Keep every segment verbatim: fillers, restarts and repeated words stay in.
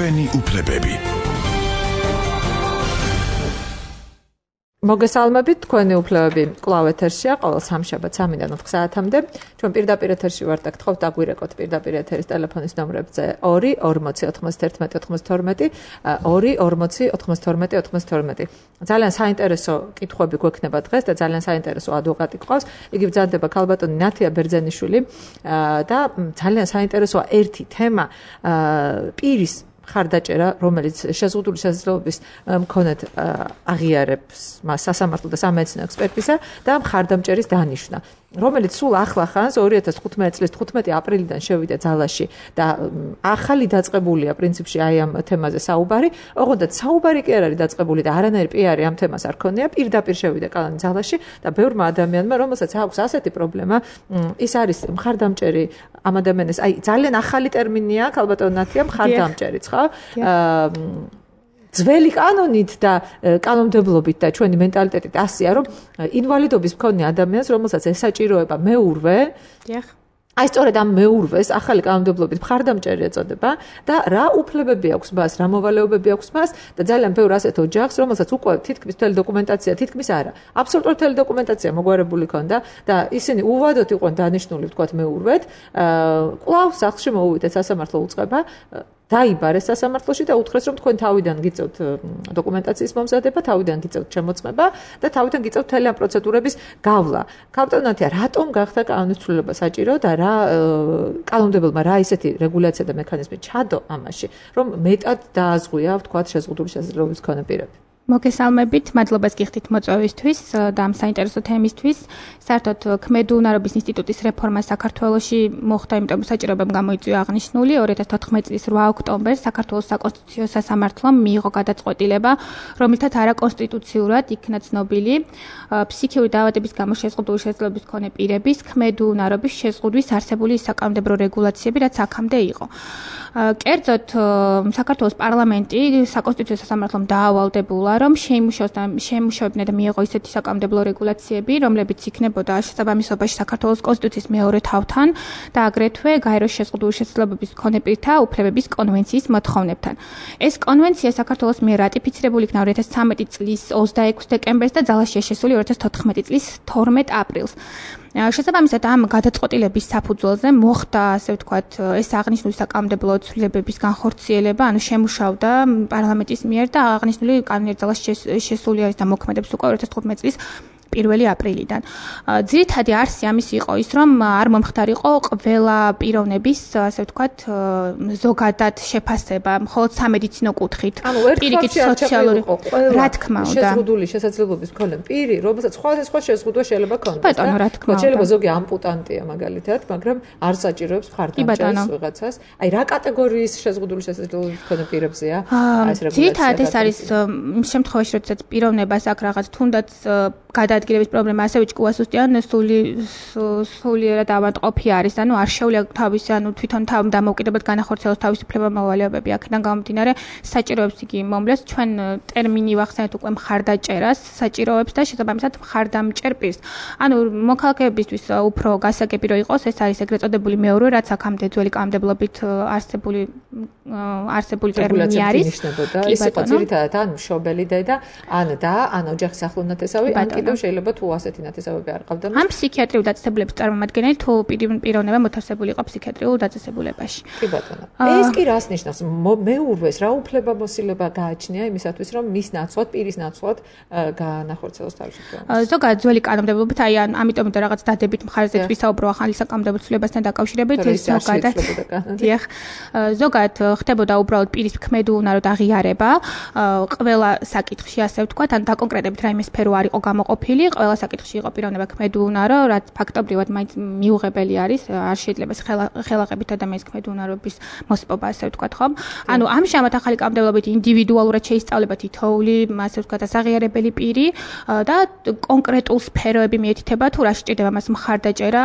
ჩვენი უფლებები. მოგესალმებით, თქვენი უფლებები კვლავ ეთერშია, ყოველ სამშაბათ სამიდან ოთხ საათამდე. ჩვენ პირდაპირ ეთერში ვართ და გთხოვთ აგვირეკოთ პირდაპირ ეთერის ტელეფონის ნომრებზე ორი ორმოცი ოთხმოცდაერთმეტი ოთხმოცდაათორმეტი, ორი ორმოცი ოთხმოცდაათორმეტი ოთხმოცდაათორმეტი. ძალიან საინტერესო კითხვები გვექნება დღეს და ძალიან საინტერესო ადვოკატი გყავს. იგი ბრძანდება ქალბატონი ნათია ბერძენიშვილი და ძალიან საინტერესოა ერთი თემა პირის ხარდაჭერა, რომელიც შეზღუდული შესაძლებლობის მქონედ აღიარებს მას სასამართლო და სამედიცინო ექსპერტიზა და მხარდამჭერის დანიშვნა, რომელიც სულ ახლა ხანს ორი ათას თხუთმეტი წლის თხუთმეტი აპრილიდან შევიდა ძალაში და ახალი დაწყებულია პრინციპში აი ამ თემაზე საუბარი, ოღონდ საუბარი კი არ არის დაწყებული და არანაირი პიარი ამ თემას არ ქონია, პირდაპირ შევიდა კალანი ძალაში და ბევრმა ადამიანმა, რომელსაც აქვს ასეთი პრობლემა, ის არის მხარდამჭერი ამ ადამიანის, აი ძალიან ახალი ტერმინია ქალბატონ ნათია მხარდამჭერიც, ხო? ძველი კანონით და კანონმდებლობით და ჩვენი მენტალიტეტით ასია, რომ ინვალიდობის მქონე ადამიანს, რომელსაც ესაჭიროება მეურვე, აი სწორედ ამ მეურვეს ახალი კანონმდებლობით მხარდამჭერი ეწოდება და რა უფლებები აქვს მას, რა მოვალეობები აქვს მას და ძალიან ბევრ ასეთ ოჯახს, რომელსაც უკვე თითქმის მთელი დოკუმენტაცია, თითქმის არა, აბსოლუტურად მთელი დოკუმენტაცია მოგვარებული ქონდა და ისინი უვადოდ იყვნენ დანიშნული, ვთქვათ, მეურვედ, კვლავ სახლში მოუვიდეს სასამართლო უწყება, დაიბარეს სასამართლოში და უთხრეს, რომ თქვენ თავიდან გიწევთ დოკუმენტაციის მომზადება, თავიდან გიწევთ შემოწმება და თავიდან გიწევთ მთელი ამ პროცედურების გავლა. ქალბატონ ნათია, რატომ გახდა კანონის ცვლილება საჭირო და რა კანონმდებელმა რა ისეთი რეგულაცია და მექანიზმი ჩადო ამაში, რომ მეტად დააზღვია, ვთქვათ, შეზღუდული შესაძლებლობის მქონე პირები. მოგესალმებით, მადლობას გიხდით მოწვევისთვის და ამ საინტერესო თემისთვის. საერთოდ ქმედუნარობის ინსტიტუტის რეფორმა საქართველოში მოხდა, იმიტომ საჭიროებამ გამოიწვია აღნიშნული ორი ათას თოთხმეტი წლის რვა ოქტომბერს საქართველოს საკონსტიტუციო სასამართლომ მიიღო გადაწყვეტილება, რომლითაც არაკონსტიტუციურად იქნა ცნობილი ფსიქიური დაავადების გამო შეზღუდული შესაძლებლობის მქონე პირების ქმედუნარობის შეზღუდვის არსებული საკანონმდებლო რეგულაციები, რაც აქამდე იყო. კერძოდ საქართველოს პარლამენტი საკონსტიტუციო სასამართლომ დაავალდებულა, რომ შეიმუშავებინა და მიეღო ისეთი საკანონმდებლო რეგულაციები, რომლებიც იქნებოდა შესაბამისობაში საქართველოს კონსტიტუციის მეორე თავთან და აგრეთვე გაეროს შეზღუდული შესაძლებლობის მქონე პირთა უფლებების კონვენციის მოთხოვნებთან. ეს კონვენცია საქართველოს მიერ რატიფიცირებული იქნა ორი ათას ცხრამეტი წლის ოცდაექვსი დეკემბერს და ძალაშია შესული ორი ათას თოთხმეტი წლის თორმეტ აპრილს. შესაბამისად ამ გადაწყვეტილების საფუძველზე მოხდა, ასე ვთქვათ, ეს აღნიშნული საკანონმდებლო ცვლილებების განხორციელება, ანუ შემუშავდა პარლამენტის მიერ და აღნიშნული კანონიერ ძალაში შესული არის და მოქმედებს უკვე ორი ათას თხუთმეტი წლის პირველი აპრილიდან. ძირითადი არსი ამის იყო ის, რომ არ მომხდარიყო ყველა პიროვნების, ასე ვთქვათ, ზოგადად შეფასება, მხოლოდ სამედიცინო კუთხით, პირიქით სოციალური, რა თქმა უნდა. შეზღუდული შესაძლებლობის მქონე პირი, რომელსაც სხვა სხვა შეზღუდვა შეიძლება ქონდეს. ბატონო, რა თქმა უნდა. შეიძლება ზოგი ამპუტანტია მაგალითად, მაგრამ არ საჭიროებს მხარდამჭერს ვიღაცას. აი რა კატეგორიის შეზღუდული შესაძლებლობის მქონე პირებზეა ეს რეგულაცია? ძირითადად ეს არის იმ შემთხვევაში, როდესაც პიროვნებას აქ რაღაც თუნდაც გადაადგილების პრობლემა ასევე ჭკუას უსტიან სული სულიერად ავადმყოფი არის, ანუ არ შეუძლია თავის, ანუ თვითონ თავ დამოუკიდებლად განახორციელოს თავისუფლება მოვალეობები. აქედან გამომდინარე, საჭიროებს იგი მომლეს ჩვენ ტერმინი ვახსენეთ უკვე მხარდაჭერას, საჭიროებს და შესაბამისად მხარდამჭერ პირს. ანუ მოქალაქეებისთვის უფრო გასაგები რო იყოს, ეს არის ეგრეთ წოდებული მეურვე, რაც აქამდე ძველი კანონმდებლობით არსებული არსებული ტერმინი არის. ის იყო ძირითადად ან მშობელი დედა, ან და, ან ოჯახის ახლო ნათესავი, ან კიდევ შეიძლება თუ ასეთი ნათესავები არ ყავდა. ამ ფსიქიატრიულ დაწესებულების წარმომადგენელი თუ პიროვნება მოთავსებული იყო ფსიქიატრიულ დაწესებულებაში. კი ბატონო. ეს კი რას ნიშნავს? მეურვეს რა უფლება მოსილება გააჩნია იმისათვის, რომ მის ნაცვლად, პირის ნაცვლად განახორციელოს თავისუფლება. ზოგადად ძველი კანონმდებლობით, აი ამიტომ და რაღაც დადებით მხარეზე ვისაუბრო ახალი საკანონმდებლო ცვლილებასთან დაკავშირებით, ზოგადად. დიახ. ზოგადად ხდებოდა უბრალოდ პირის ქმედუნაროდ აღიარება, ყველა საკითხში, ასე ვთქვათ, ან დაკონკრეტებით რაიმე სფერო არ იყო გამოყოფილი, ყველა საკითხში იყო პიროვნება ქმედუნარო, რაც ფაქტობრივად მაინც მიუღებელი არის, არ შეიძლება ხელახებით ადამიანის ქმედუნარობის მოსპობა, ასე ვთქვათ, ხომ? ანუ ამჟამად ახალი კანონმდებლობით ინდივიდუალურად შეისწავლება თითოეული, ასე ვთქვათ, ასაღიარებელი პირი და კონკრეტულ სფეროები მიეთითება თუ რა სჭირდება მას მხარდაჭერა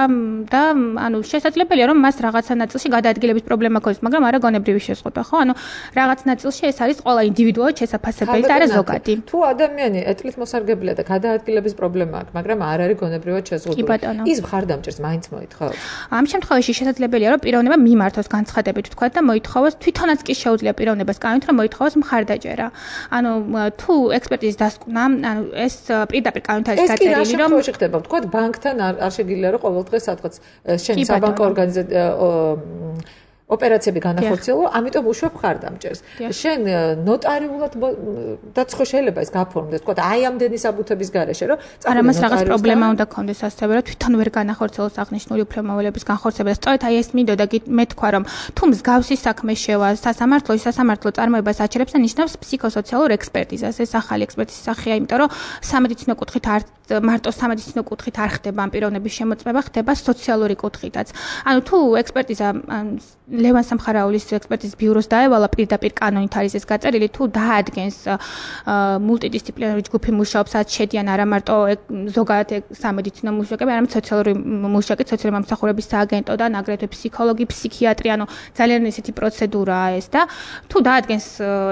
და ანუ შესაძლებელია რომ მას რაღაცა ნაწილში გადაადგილების პრობლემა ქონდეს, მაგრამ არა გონებრივი შეზღუდვა, ხო? ანუ რაღაც ნაწილში ეს არის ყველა ინდივიდუალურად შესაძლებელი და არა ზოგადი. თუ ადამიანი ეთლით მოსარგებელია და გადაადგილების პრობლემა აქვს, მაგრამ არ არის გონებრივად შეზღუდული. ის მხარდამჭერს მაინც მოითხოვს. ამ შემთხვევაში შესაძლებელია, რომ პიროვნება მიმართოს განცხადებით თქვა და მოითხოვოს, თვითონაც კი შეუძლია პიროვნებას კანონით, რომ მოითხოვოს მხარდაჭერა. ანუ თუ ექსპერტიზის დასკვნა, ანუ ეს პირდაპირ კანონით არის გაწერილი, რომ ეს კი რა შემთხვევაში ხდება? თქვა ბანკთან არ შეგიძლია რომ ყოველ დღე სადღაც შენ საბანკო ორგანიზაცია ოპერაციები განახორციელო, ამიტომ უშვებ მხარდამჭერს. შენ ნოტარიულად დაც ხო შეიძლება ეს გაფორმდეს, თქვა აი ამდენი საბუთების გარეშე, რომ არა მას რაღაც პრობლემა უნდა გქონდეს ასევე, რომ თვითონ ვერ განახორციელოს აღნიშნული უფლებამოვალეების განხორციელება. სწორედ აი ეს მინდოდა მე თქვა, რომ თუ მსგავსი საქმე შევა სასამართლოში, სასამართლო წარმოებას აჩერებს და ნიშნავს ფსიქოსოციალურ ექსპერტიზას. ეს ახალი ექსპერტიზის სახეა, იმიტომ რომ სამედიცინო კუთხით არ მარტო სამედიცინო კუთხით არ ხდება ამ პიროვნების შემოწმება, ხდება სოციალური კუთხითაც. ანუ თუ ექსპერტიზა ლევან სამხარაულის ექსპერტიზის ბიუროს დაევალა პირდაპირ კანონით არის ეს გაწერილი, თუ დაადგენს მულტიდისციპლინარული ჯგუფი მუშაობს, რაც შედიან არა მარტო ზოგადად სამედიცინო მუშაკები, არამედ სოციალური მუშაკი, სოციალური მომსახურების სააგენტოდან, აგრეთვე ფსიქოლოგი, ფსიქიატრი, ანუ ძალიან ისეთი პროცედურაა ეს და თუ დაადგენს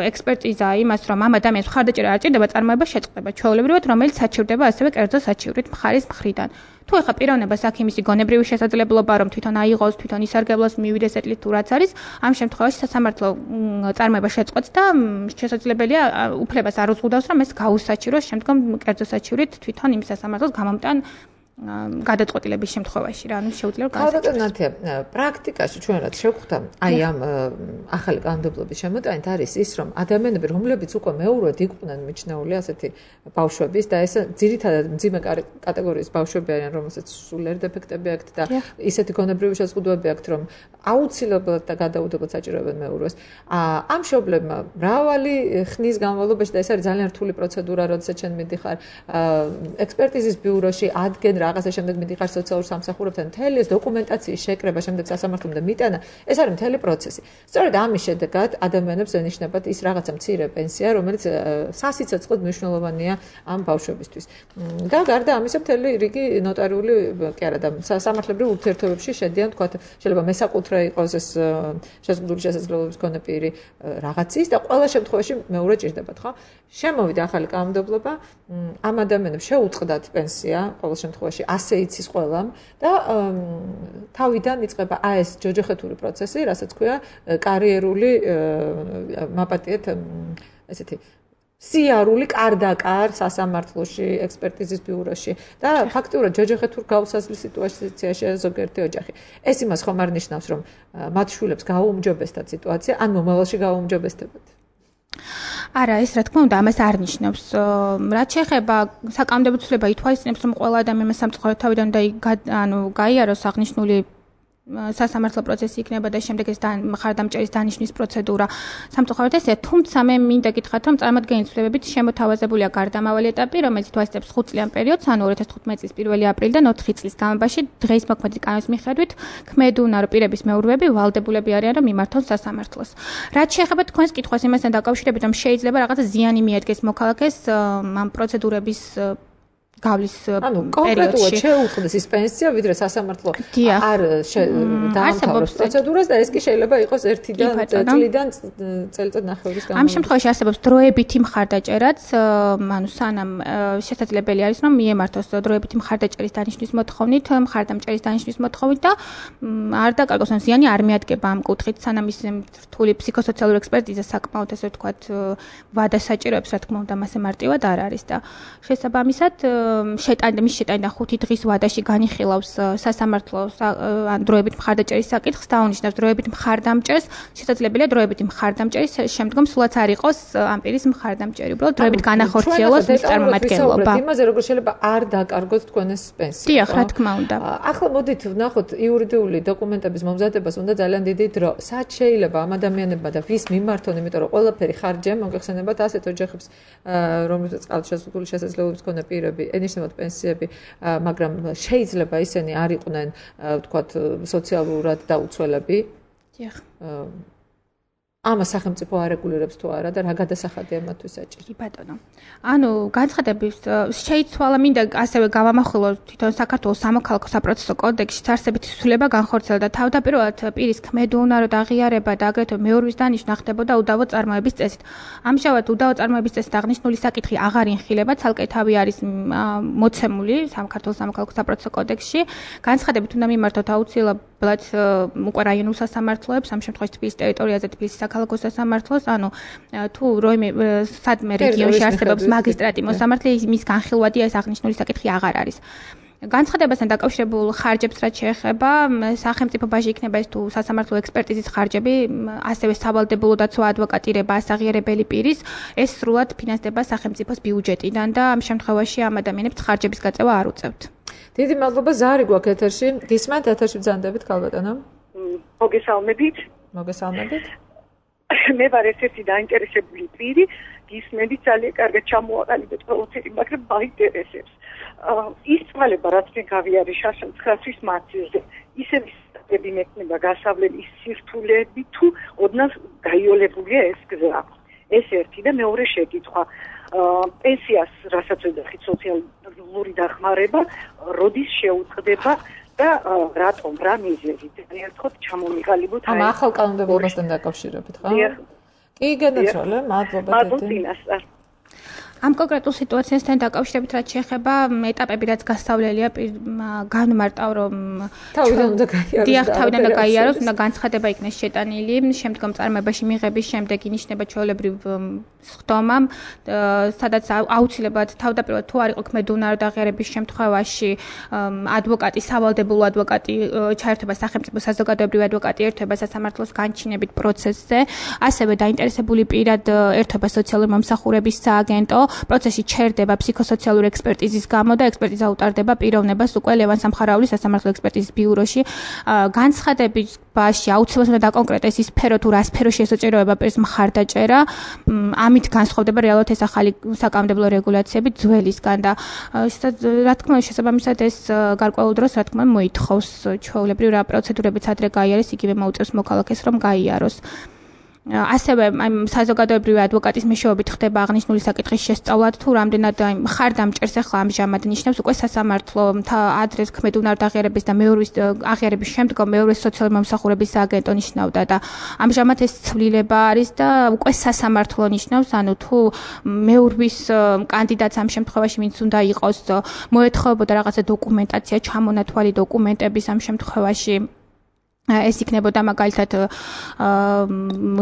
ექსპერტიზა იმას, რომ ამ ადამიანს მხარდაჭერა არ ჭირდება, წარმოება შეწყდება ჩვეულებრივად, რომელიც საჩივრდება ასევე კერძო საჩივრით მხარის მხრიდან. თუ ეხა პიროვნებას აქ იმისი გონებრივი შესაძლებლობა რომ თვითონ აიღოს, თვითონ ისარგებლოს, მივიდეს ეტლით თუ რაც არის, ამ შემთხვევაში სასამართლო წარმოება შეწყვეტს და შესაძლებელია უფლებას არ უზღუდავს, რომ ეს გაუსაჩივროს შემდგომ კერძო საჩივრით თვითონ იმ სასამართლოს გამომტან გადაწყვეტილების შემთხვევაში რა, ანუ შეუძლია განსაკუთრებით პრაქტიკაში ჩვენ რაც შევხვდა, აი ამ ახალი კანონმდებლობის შემოტანით არის ის, რომ ადამიანები, რომლებიც უკვე მეურვედ იყვნენ მიჩნეული ასეთი ბავშვების და ეს ძირითადად მძიმე კატეგორიის ბავშვები არიან, რომელსაც სულიერ დეფექტები აქვთ და ისეთი გონებრივი შეზღუდვები აქვთ, რომ აუცილებლად და გადაუდებლად საჭიროებენ მეურვეს. ამ მშობლებმა მრავალი ხნის განმავლობაში და ეს არის ძალიან რთული პროცედურა, როდესაც ჩვენ მიდიხარ ექსპერტიზის ბიუროში, ადგენ რაღაცა შემდეგ მიდიხარ სოციალურ სამსახურებთან, მთელი ეს დოკუმენტაციის შეკრება, შემდეგ სასამართლომდე მიტანა, ეს არის მთელი პროცესი. სწორედ ამის შედეგად ადამიანებს ენიშნებათ ის რაღაცა მცირე პენსია, რომელიც სასიცოცხლოდ მნიშვნელოვანია ამ ბავშვებისთვის. და გარდა ამისა, მთელი რიგი ნოტარიული, კი არა და სამართლებრივ ურთიერთობებში შედიან, თქვა, შეიძლება მესაკუთრე იყოს ეს შეზღუდული შესაძლებლობის მქონე პირი რაღაცის და ყველა შემთხვევაში მეურვე ჭირდებათ, ხო? შემოვიდა ახალი კანონმდებლობა, ამ ადამიანებს შეუწყდათ პენსია ყოველ შემთხვევაში ასე იცის ყველამ და თავიდან იწყება აი ეს ჯოჯოხეთური პროცესი, რასაც ქვია კარიერული მაპატიეთ ესეთი სიარული კარდაკარ სასამართლოში, ექსპერტიზის ბიუროში და ფაქტიურად ჯოჯოხეთურ გაუსაზლის სიტუაციაში ზოგიერთი ოჯახი. ეს იმას ხომ არ ნიშნავს, რომ მათ შვილებს გააუმჯობესდათ სიტუაცია, ან მომავალში გააუმჯობესდებათ. არა, ეს რა თქმა უნდა, ამას არ ნიშნავს. რაც შეეხება საკანონმდებლო ცვლილება ითვალისწინებს, რომ ყველა ადამიანმა სამწუხაროდ თავიდან უნდა ანუ გაიაროს აღნიშნული სასამართლო პროცესი იქნება და შემდეგ ეს მხარდამჭერის დანიშნვის პროცედურა. სამწუხაროდ ესეა, თუმცა მე მინდა გითხრათ, რომ წარმოადგენელი ცვლილებებით შემოთავაზებულია გარდამავალი ეტაპი, რომელიც ითვალისწინებს ხუთ წლიან პერიოდს, ანუ ორი ათას თხუთმეტი წლის პირველი აპრილიდან ოთხი წლის განმავლობაში დღეის მოქმედი კანონის მიხედვით ქმედუნარო პირების მეურვეები ვალდებულები არიან, რომ მიმართონ სასამართლოს. რაც შეეხება თქვენს კითხვას იმასთან დაკავშირებით, რომ შეიძლება რაღაცა ზიანი მიადგეს მოქალაქეს ამ პროცედურების გავლის პერიოდში შეუწყდეს ის პენსია, ვიდრე სასამართლო არ დაამთავროს პროცედურას და ეს კი შეიძლება იყოს ერთიდან წლიდან წელიწად ნახევრის განმავლობაში. ამ შემთხვევაში არსებობს დროებითი მხარდაჭერაც, ანუ სანამ შესაძლებელი არის, რომ მიემართოს დროებითი მხარდაჭერის დანიშნვის მოთხოვნით, მხარდამჭერის დანიშნვის მოთხოვნით და არ დაკარგოს, ან ზიანი არ მიადგება ამ კუთხით, სანამ ის რთული ფსიქოსოციალური ექსპერტიზა საკმაოდ ესე ვთქვათ ვადა საჭიროებს, რა თქმა უნდა, მასე მარტივად არ არის და შესაბამისად შეტანდა მის შეტანდა ხუთი დღის ვადაში განიხილავს სასამართლო ან დროებით მხარდაჭერის საკითხს და აღნიშნავს დროებით მხარდამჭერს, შესაძლებელია დროებით მხარდამჭერის შემდგომ სულაც არ იყოს ამ პირის მხარდამჭერი, უბრალოდ დროებით განახორციელოს მის წარმომადგენლობა. იმაზე როგორ შეიძლება არ დაკარგოთ თქვენ ეს პენსია. დიახ, რა თქმა უნდა. ახლა მოდით ვნახოთ იურიდიული დოკუმენტების მომზადებას უნდა ძალიან დიდი დრო. სად შეიძლება ამ ადამიანებმა და ვის მიმართონ, იმიტომ რომ ყველაფერი ხარჯია, მოგეხსენებათ ასეთ ოჯახებს, რომელსაც ყავთ შეზღუდული შესაძლებლობის მქონე პირები ენიშნებათ პენსიები, მაგრამ შეიძლება ისინი არ იყვნენ, ვთქვათ, სოციალურად დაუცველები. დიახ. ამას სახელმწიფო არეგულირებს თუ არა და რა გადასახადია მათთვის საჭირო. კი ბატონო. ანუ განცხადების შეიცვალა მინდა ასევე გავამახვილო თვითონ საქართველოს სამოქალაქო საპროცესო კოდექსში არსებითი ცვლილება განხორციელდა თავდაპირველად პირის ქმედუნარო და აღიარება და აგრეთვე მეურვის დანიშვნა ხდებოდა უდავო წარმოების წესით. ამჟამად უდავო წარმოების წესით აღნიშნული საკითხი აღარ ინხილება, ცალკე თავი არის მოცემული საქართველოს სამოქალაქო საპროცესო კოდექსში. განცხადებით უნდა მიმართოთ აუცილებლად უკვე რაიონულ სასამართლოებს, ამ შემთხვევაში თბილისის ტერიტორიაზე თბილისის საქალაქო სასამართლოს, ანუ თუ როიმე სადმე რეგიონში არსებობს მაგისტრატი მოსამართლე, მის განხილვადია ეს აღნიშნული საკითხი აღარ არის. განცხადებასთან დაკავშირებულ ხარჯებს რაც შეეხება, სახელმწიფოში იქნება ეს თუ სასამართლო ექსპერტიზის ხარჯები, ასევე სავალდებულო დაცვა ადვოკატირება ასაღიარებელი პირის, ეს სრულად ფინანსდება სახელმწიფოს ბიუჯეტიდან და ამ შემთხვევაში ამ ადამიანებს ხარჯების გაწევა არ უწევთ. დიდი მადლობა, ზარი გვაქვს ეთერში. გისმენთ ეთერში ბრძანდებით ქალბატონო? მოგესალმებით. მოგესალმებით. მე ვარ ერთ-ერთი დაინტერესებული პირი, გისმენთ ძალიან კარგად ჩამოაყალიბეთ პროცესი, მაგრამ მაინტერესებს. ის თვალება რაც მე გავიარე შაშან ცხრა თვის მათზე, ისევ ისები მექნება გასავლელი სირთულეები თუ ოდნავ გაიოლებულია ეს გზა. ეს ერთი და მეორე შეკითხვა. პენსიას რასაც ვეძახით სოციალური დახმარება, როდის შეუწყდება და რატომ რა მიზეზით ერთად ჩამომიყალიბოთ აი ამ ახალ კანონმდებლობასთან დაკავშირებით ხო? კი გენაცვალე, მადლობა დიდი. ამ კონკრეტულ სიტუაციასთან დაკავშირებით რაც შეეხება ეტაპები რაც გასავლელია განმარტავ რომ თავიდან უნდა გაიაროს. დიახ, თავიდან უნდა გაიაროს, უნდა განცხადება იქნეს შეტანილი, შემდგომ წარმოებაში მიღების შემდეგ ინიშნება ჩვეულებრივ სხდომამ, სადაც აუცილებლად თავდაპირველად თუ არ იყო ქმედუნარო დაღიარების შემთხვევაში ადვოკატი, სავალდებულო ადვოკატი ჩაერთვება სახელმწიფო საზოგადოებრივი ადვოკატი ერთვება სასამართლოს განჩინებით პროცესზე, ასევე დაინტერესებული პირად ერთვება სოციალური მომსახურების სააგენტო პროცესი ჩერდება ფსიქოსოციალური ექსპერტიზის გამო და ექსპერტიზა უტარდება პიროვნებას უკვე ლევან სამხარაულის სასამართლო ექსპერტიზის ბიუროში. განცხადებაში აუცილებლად უნდა დაკონკრეტდეს ის სფერო თუ რა სფეროში ესოჭიროება პირის მხარდაჭერა. ამით განსხვავდება რეალურად ეს ახალი საკანონმდებლო რეგულაციები ძველისგან და რა თქმა უნდა შესაბამისად ეს გარკვეულ დროს რა თქმა უნდა მოითხოვს ჩვეულებრივ რა პროცედურებიც ადრე გაიარეს, იგივე მოუწევს მოქალაქეს რომ გაიაროს. ასევე აი საზოგადოებრივი ადვოკატის მეშვეობით ხდება აღნიშნული საკითხის შესწავლად თუ რამდენად აი მხარდამჭერს ახლა ამჟამად ნიშნავს უკვე სასამართლო ადრეს ქმედუნარო დაღიარების და მეურვის აღიარების შემდგომ მეურვის სოციალური მომსახურების სააგენტო ნიშნავდა და ამჟამად ეს ცვლილება არის და უკვე სასამართლო ნიშნავს, ანუ თუ მეურვის კანდიდატს ამ შემთხვევაში ვინც უნდა იყოს მოეთხოვებოდა რაღაცა დოკუმენტაცია, ჩამონათვალი დოკუმენტების ამ შემთხვევაში ეს იქნებოდა მაგალითად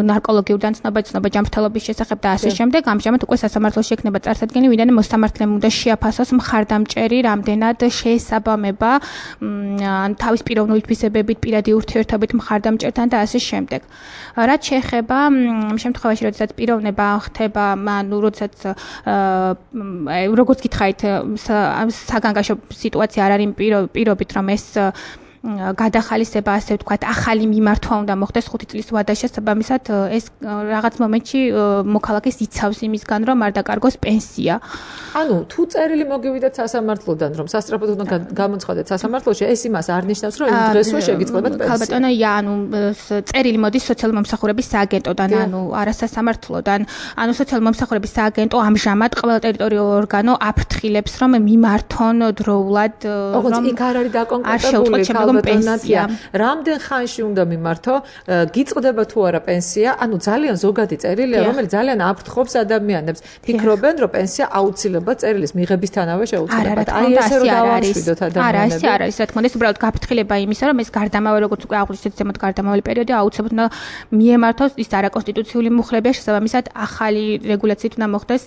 ნარკოლოგიურიდან ცნობა, ცნობა ჯანმრთელობის შესახებ და ასე შემდეგ. ამჟამად უკვე სასამართლოში ექნება წარსადგენი, ვინაიდან მოსამართლემ უნდა შეაფასოს მხარდამჭერი რამდენად შეესაბამება თავის პიროვნული თვისებებით, პირადი ურთიერთობით მხარდამჭერთან და ასე შემდეგ. რაც შეეხება ამ შემთხვევაში, როდესაც პიროვნება ხდება, ანუ როდესაც როგორც გითხარით, საგანგაშო სიტუაცია არ არის პირობით, რომ ეს გადახალისება ასე ვთქვათ, ახალი მიმართვა უნდა მოხდეს ხუთი წლის ვადაში, შესაბამისად ეს რაღაც მომენტში მოქალაქეს იცავს იმისგან, რომ არ დაკარგოს პენსია. ანუ თუ წერილი მოგივიდეთ სასამართლოდან, რომ სასწრაფოდ უნდა გამოცხადეთ სასამართლოში, ეს იმას არ ნიშნავს, რომ იმ დღესვე შეგიძლიათ პენსია. ქალბატონო, ია, ანუ წერილი მოდის სოციალური მომსახურების სააგენტოდან, ანუ არა სასამართლოდან. ანუ სოციალური მომსახურების სააგენტო ამჟამად ყველა ტერიტორიულ ორგანო აფრთხილებს, რომ მიმართონ დროულად, რომ იქ არ არის დაკონკრეტებული პენსია. რამდენ ხანში უნდა მიმართო, გიწყდება თუ არა პენსია, ანუ ძალიან ზოგადი წერილია, რომელიც ძალიან აფრთხობს ადამიანებს. ფიქრობენ, რომ პენსია აუცილებლად წერილის მიღებისთანავე შეუძლებელია. აი ესე რომ დავაშვიდოთ ადამიანებს. არა, ესე არ არის, რა თქმა უნდა, ეს უბრალოდ გაფრთხილება იმისა, რომ ეს გარდამავალი, როგორც უკვე აღვნიშნეთ, ზემოთ გარდამავალი პერიოდი აუცილებლად უნდა მიემართოს ის არაკონსტიტუციური მუხლებია, შესაბამისად ახალი რეგულაციით უნდა მოხდეს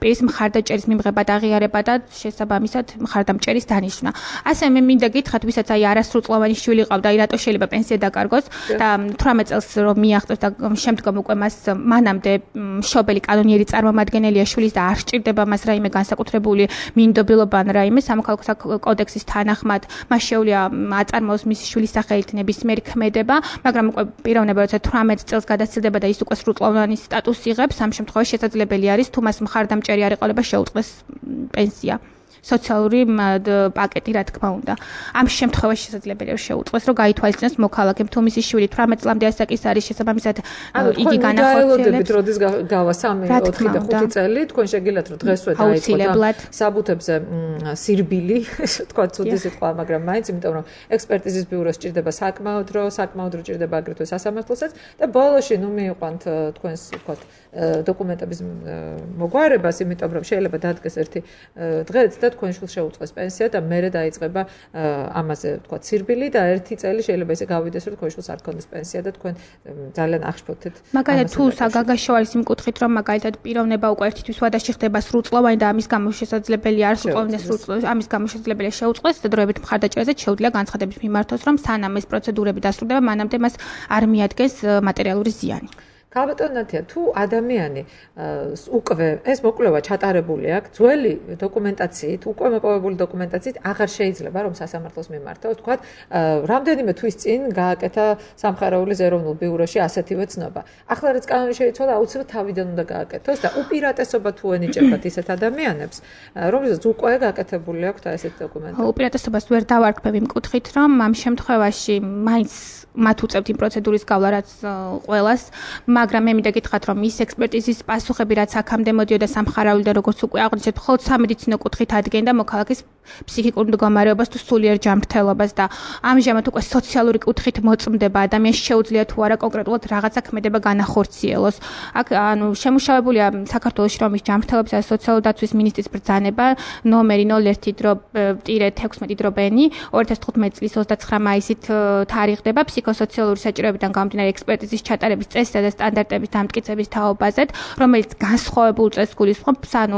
პირის მხარდაჭერის მიღება და აღიარება და შესაბამისად მხარდამჭერის დანიშვნა. ასე მე მინდა გითხრათ, ვისაც აი არასრულ წლოვანი შვილი ყავდა, აი რატო შეიძლება პენსია დაკარგოს და თვრამეტ წელს რომ მიაღწევს და შემდგომ უკვე მას მანამდე მშობელი კანონიერი წარმომადგენელია შვილის და არ სჭირდება მას რაიმე განსაკუთრებული მინდობილობა ან რაიმე სამოქალაქო კოდექსის თანახმად მას შეუძლია აწარმოოს მისი შვილის სახელით ნებისმიერი ქმედება, მაგრამ უკვე პიროვნება როცა თვრამეტ წელს გადასცილდება და ის უკვე სრულწლოვანი სტატუსი იღებს, ამ შემთხვევაში შესაძლებელი არის თუ მას მხარდამჭერი არ ეყოლება შეუწყდეს პენსია. სოციალური პაკეტი, რა თქმა უნდა. ამ შემთხვევაში შესაძლებელია შეუწყოს, რომ გაითვალისწინოს მოქალაქემ თუ მისი შვილი თვრამეტ წლამდე ასაკის არის, შესაბამისად იგი განახორციელებს. როდის გავა სამი, ოთხი და ხუთი წელი, თქვენ შეგიძლიათ რომ დღესვე დაიწყოთ საბუთებზე სირბილი, თქვა ცუდი სიტყვა, მაგრამ მაინც იმიტომ რომ ექსპერტიზის ბიუროს ჭირდება საკმაოდ დრო, საკმაოდ დრო ჭირდება აგრეთვე სასამართლოსაც და ბოლოში ნუ მიიყვანთ თქვენს თქვა დოკუმენტების მოგვარებას, იმიტომ რომ შეიძლება დადგეს ერთი დღეც და თქვენ შვილს შეუწყოს პენსია და მერე დაიწყება ამაზე თქვა სირბილი და ერთი წელი შეიძლება ისე გავიდეს რომ თქვენ შვილს არ ქონდეს პენსია და თქვენ ძალიან აღშფოთეთ. მაგალითად თუ საგაგაში არის იმ კუთხით რომ მაგალითად პიროვნება უკვე ერთთვის ვადაში ხდება სრულწლოვანი და ამის გამო შესაძლებელია არ სრულწლოვანი სრულწლოვანი ამის გამო შესაძლებელია შეუწყოს და დროებით მხარდაჭერაზე შეუძლია განცხადების მიმართოს რომ სანამ ეს პროცედურები დასრულდება მანამდე მას არ მიადგენს მატერიალური ზიანი. ქალბატონათია, თუ ადამიანი უკვე ეს მოკვლევა ჩატარებული აქვს, ძველი დოკუმენტაციით, უკვე მოპოვებული დოკუმენტაციით აღარ შეიძლება რომ სასამართლოს მიმართოს, თქვათ, რამდენიმე თვის წინ გააკეთა სამხარაულის ეროვნულ ბიუროში ასეთივე ცნობა. ახლა რაც კანონი შეიცვალა, აუცილებლად თავიდან უნდა გააკეთოს და უპირატესობა თუ ენიჭებათ ისეთ ადამიანებს, რომლებსაც უკვე გაკეთებული აქვთ ესეთი დოკუმენტები. უპირატესობას ვერ დავარქმევ იმ კუთხით, რომ ამ შემთხვევაში მაინც მათ უწევთ იმ პროცედურის გავლა, რაც ყველას, მაგრამ მე მინდა გითხრათ, რომ ის ექსპერტიზის პასუხები, რაც აქამდე მოდიოდა სამხარაული და როგორც უკვე აღვნიშნეთ, მხოლოდ სამედიცინო კუთხით ადგენდა მოქალაქის ფსიქიკურ მდგომარეობას თუ სულიერ ჯანმრთელობას და ამჟამად უკვე სოციალური კუთხით მოწმდება ადამიანს შეუძლია თუ არა კონკრეტულად რაღაცა ქმედება განახორციელოს. აქ ანუ შემუშავებულია საქართველოს შრომის ჯანმრთელობის და სოციალური დაცვის მინისტრის ბრძანება ნომერი ნულ ერთი თექვსმეტი ბენი ორი ათას თხუთმეტი წლის ოცდაცხრა მაისით თარიღდება ფსიქოსოციალური საჭიროებიდან გამომდინარე ექსპერტიზის ჩატარების წესისა და სტანდარტების დამტკიცების თაობაზე, რომელიც განსხვავებულ წესს გულისხმობს, ანუ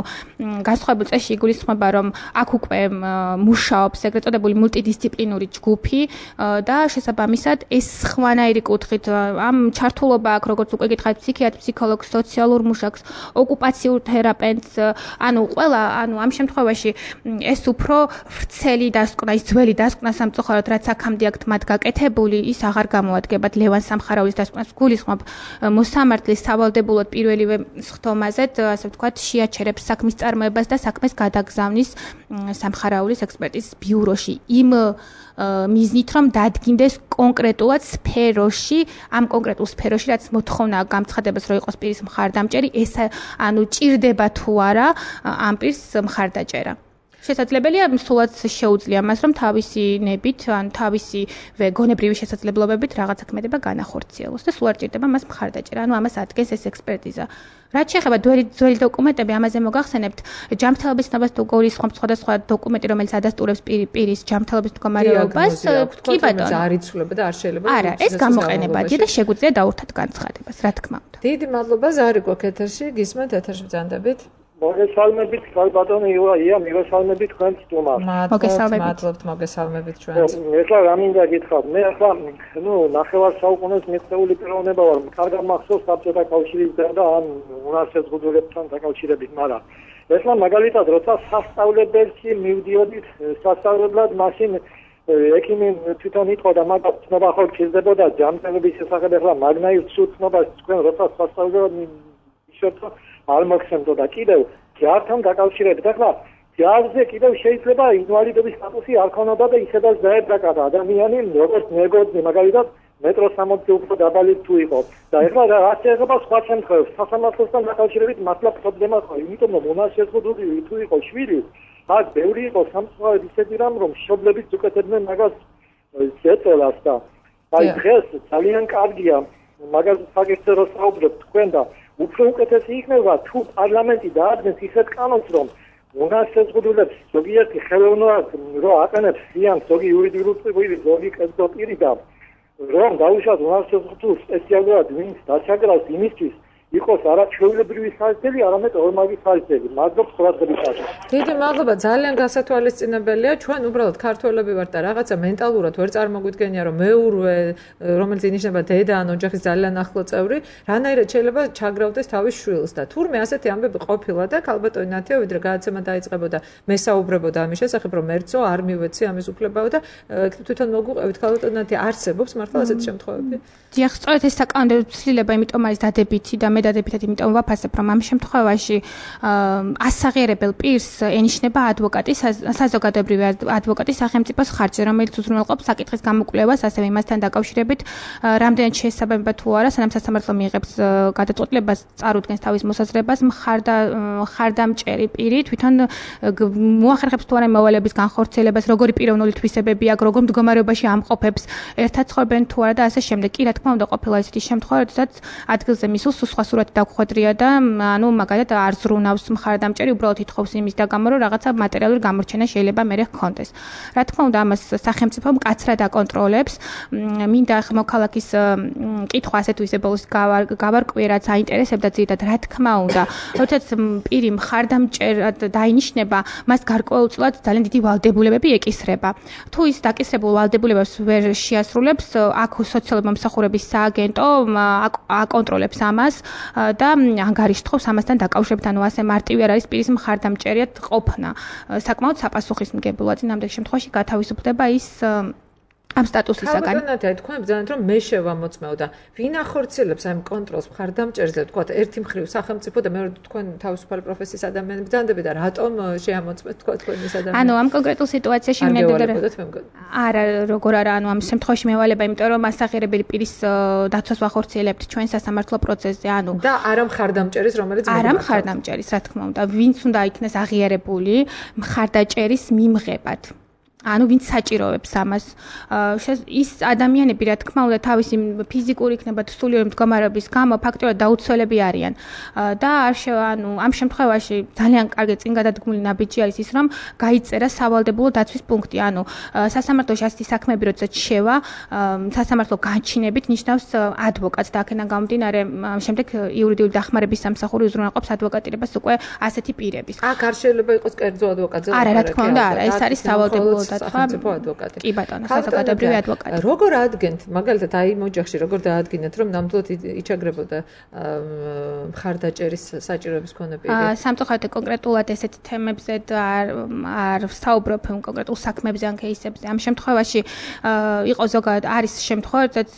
განსხვავებულ წესში იგულისხმება, რომ აქ უკვე მუშაობს ეგრეთ წოდებული მულტიდისციპლინური ჯგუფი და შესაბამისად ეს სხვანაირი კუთხით ამ ჩართულობა აქვს, როგორც უკვე გითხარით, ფსიქიატრ, ფსიქოლოგს, სოციალურ მუშაკს, ოკუპაციურ თერაპევტს, ანუ ყველა, ანუ ამ შემთხვევაში ეს უფრო ვრცელი დასკვნა, ის ძველი დასკვნა სამწუხაროდ, რაც აქამდე აქვთ მათ გაკეთებული, ის აღარ გამოადგებათ ლევან სამხარაულის დასკვნას გულისხმობ მოსამართლის სავალდებულოდ პირველივე სხდომაზე, ასე ვთქვათ, შეაჩერებს საქმის წარმოებას და საქმეს გადაგზავნის სამხარაულის ექსპერტიზის ბიუროში იმ მიზნით, რომ დადგინდეს კონკრეტულად სფეროში, ამ კონკრეტულ სფეროში, რაც მოთხოვნა გამცხადებას, რომ იყოს პირის მხარდამჭერი, ეს ანუ ჭირდება თუ არა ამ პირს მხარდაჭერა. შესაძლებელია სულაც შეუძლია მას რომ თავისი ნებით ან თავისი გონებრივი შესაძლებლობებით რაღაცა ქმედება განახორციელოს და სულ არ ჭირდება მას მხარდაჭერა. ანუ ამას ადგენს ეს ექსპერტიზა. რაც შეეხება ძველი დოკუმენტები, ამაზე მოგახსენებთ, ჯანმრთელობის ცნობას თუ გულისხმობ სხვადასხვა დოკუმენტი, რომელიც ადასტურებს პირის ჯანმრთელობის მდგომარეობას, კი ბატონო, არ იცვლება და არ შეიძლება. არა, ეს გამოყენებადია და შეგვიძლია დაურთათ განცხადებას, რა თქმა უნდა. დიდი მადლობა, ზარი გვაქვს ეთერში, გისმენთ ეთერში ბრძანდებით. მოგესალმებით, ბატონო იუაია, მოგესალმებით თქვენს სტუმარს. მოგესალმებით, მადლობთ, მოგესალმებით ჩვენს. ეხლა რა მინდა გითხრათ, მე ახლა, ნუ, ნახევარ საუკუნეს მიღწეული პიროვნება ვარ, კარგად მახსოვს საბჭოთა კავშირის და ამ უნარსეზღუდვებთან დაკავშირებით, მაგრამ ეხლა მაგალითად, როცა სასწავლებელში მივდიოდით სასწავლებლად, მაშინ ექიმი თვითონ იტყოდა, მაგათ ცნობა ხო გჭირდებოდა ჯანმრთელობის შესახებ, ეხლა მაგნაირ ცნობას თქვენ როცა სასწავლებლად ისეთო არ მოგხსენდო და კიდევ ჯართან დაკავშირებით ახლა ჯარზე კიდევ შეიძლება ინვალიდობის სტატუსი არ ქონოდა და ისედაც დაებრაკა ადამიანი როგორც მეგოძი მაგალითად მეტროს სამოცი უფრო დაბალი თუ იყო და ახლა რა შეიძლება სხვა შემთხვევებში სასამართლოსთან დაკავშირებით მართლა პრობლემა ხო იმიტომ რომ უნარსეზღუდული თუ იყო შვილი აქ ბევრი იყო სამწუხაროდ ისეთი რამ რომ მშობლებიც უკეთებდნენ მაგას ზეწოლას და აი დღეს ძალიან კარგია მაგას საკითხზე რო საუბრობთ თქვენ და უფრო უკეთესი იქნება თუ პარლამენტი დაადგეს ისეთ კანონს რომ უნარსეზღუდულებს ზოგიერთი ხელოვნურად რო აყენებს ზიანს ზოგი იურიდიული პირი ზოგი კერძო პირი და რომ დაუშვათ უნარსეზღუდულს სპეციალურად ვინც დაჩაგრავს იმისთვის იყოს არა ჩვეულებრივი საერთელი, არამედ ორმაგი საერთელი. მადლობთ ყურადღებისათვის. დიდი მადლობა, ძალიან გასათვალისწინებელია. ჩვენ უბრალოდ ქართველები ვართ და რაღაცა მენტალურად ვერ წარმოგვიდგენია, რომ მეურვე, რომელიც ინიშნება დედა ან ოჯახის ძალიან ახლო წევრი, რანაირად შეიძლება ჩაგრავდეს თავის შვილს და თურმე ასეთი ამბები ყოფილა და ქალბატონი ნათია, ვიდრე გადაცემა დაიწყებოდა, მე საუბრებოდა ამის შესახებ, რომ ერთსო არ მივეცი ამის უფლებაო და თვითონ მოგვიყევით ქალბატონი ნათია, არსებობს მართლა ასეთი შემთხვევები? დიახ, სწორედ ეს საკანონმდებლო ცვლილება, იმიტომ არის დადებითი და მე დადებითად იმიტომ ვაფასებ, რომ ამ შემთხვევაში ასაღიარებელ პირს ენიშნება ადვოკატი, საზოგადოებრივი ადვოკატი სახელმწიფოს ხარჯზე, რომელიც უზრუნველყოფს საკითხის გამოკვლევას, ასევე იმასთან დაკავშირებით, რამდენად შესაძლებლობა თუ არა, სანამ სასამართლო მიიღებს გადაწყვეტილებას, წარუდგენს თავის მოსაზრებას, მხარდა მხარდამჭერი პირი თვითონ მოახერხებს თუ არა მოვალეების განხორციელებას, როგორი პიროვნული თვისებები აქვს, როგორ მდგომარეობაში ამყოფებს, ერთად ცხოვრობენ თუ არა და ასე შემდეგ. კი, რა თქმა უნდა, ყოფილა ისეთი შემთხვევა, როდესაც ადგილზე მისულს სხვა სურათი დაგხვედრია და ანუ მაგალითად არ ზრუნავს მხარდამჭერი, უბრალოდ ითხოვს იმის დაგამო, რომ რაღაცა მატერიალური გამორჩენა შეიძლება მერე ჰქონდეს. რა თქმა უნდა, ამას სახელმწიფო მკაცრად აკონტროლებს. მინდა მოქალაქის კითხვა ასე თუ ისე ბოლოს გავარკვიე, რაც აინტერესებდა ძირითადად, რა თქმა უნდა, როდესაც პირი მხარდამჭერად დაინიშნება, მას გარკვეულწილად ძალიან დიდი ვალდებულებები ეკისრება. თუ ის დაკისრებულ ვალდებულებებს ვერ შეასრულებს, აქ სოციალური მომსახურების სააგენტო აკონტროლებს ამას და ანგარიშთხოვს ამასთან დაკავშირებით, ანუ ასე მარტივი არ არის პირის მხარდამჭერად ყოფნა. საკმაოდ საპასუხისმგებლოა, წინამდელ შემთხვევაში გათავისუფლდება ის ამ სტატუსისაგან. ხალხი თქვენ ბრძანეთ, რომ მე შევამოწმეო და ვინ ახორციელებს ამ კონტროლს მხარდამჭერზე, თქვა ერთი მხრივ სახელმწიფო და მეორე თქვენ თავისუფალი პროფესიის ადამიანები ბრძანდები და რატომ შეამოწმეთ თქვა თქვენის ადამიანები? ანუ ამ კონკრეტულ სიტუაციაში მინდოდა არა, როგორ არა, ანუ ამ შემთხვევაში მევალება, იმიტომ რომ ასაღიარებელი პირის დაცვას ვახორციელებთ ჩვენ სასამართლო პროცესზე, ანუ და არა მხარდამჭერის, რომელიც არა მხარდამჭერის, რა თქმა უნდა, ვინც უნდა იქნეს აღიარებული მხარდაჭერის მიმღებად. ანუ ვინც საჭიროებს ამას. ის ადამიანები, რა თქმა უნდა, თავისი ფიზიკური იქნება თუ სულიერი მდგომარეობის გამო ფაქტობრივად დაუცველები არიან. და არ ანუ ამ შემთხვევაში ძალიან კარგი წინ გადადგმული ნაბიჯი არის ის, რომ გაიწერა სავალდებულო დაცვის პუნქტი. ანუ სასამართლოში ასეთი საქმეები, როდესაც შევა, სასამართლო განჩინებით ნიშნავს ადვოკატს და აქედან გამომდინარე, შემდეგ იურიდიული დახმარების სამსახური უზრუნველყოფს ადვოკატირებას უკვე ასეთი პირების. აქ არ შეიძლება იყოს კერძო ადვოკატზე. არა, რა თქმა უნდა, არა, ეს არის სავალდებულო სახელმწიფო ადვოკატი. კი ბატონო, საზოგადოებრივი ადვოკატი. როგორ ადგენთ, მაგალითად, აი იმ ოჯახში როგორ დაადგინეთ, რომ ნამდვილად იჩაგრებოდა მხარდაჭერის საჭიროების მქონე პირი? სამწუხაროდ კონკრეტულად ესეთ თემებზე არ არ ვსაუბრობ კონკრეტულ საქმებზე ან кейსებზე. ამ შემთხვევაში იყო ზოგადად არის შემთხვევა, როდესაც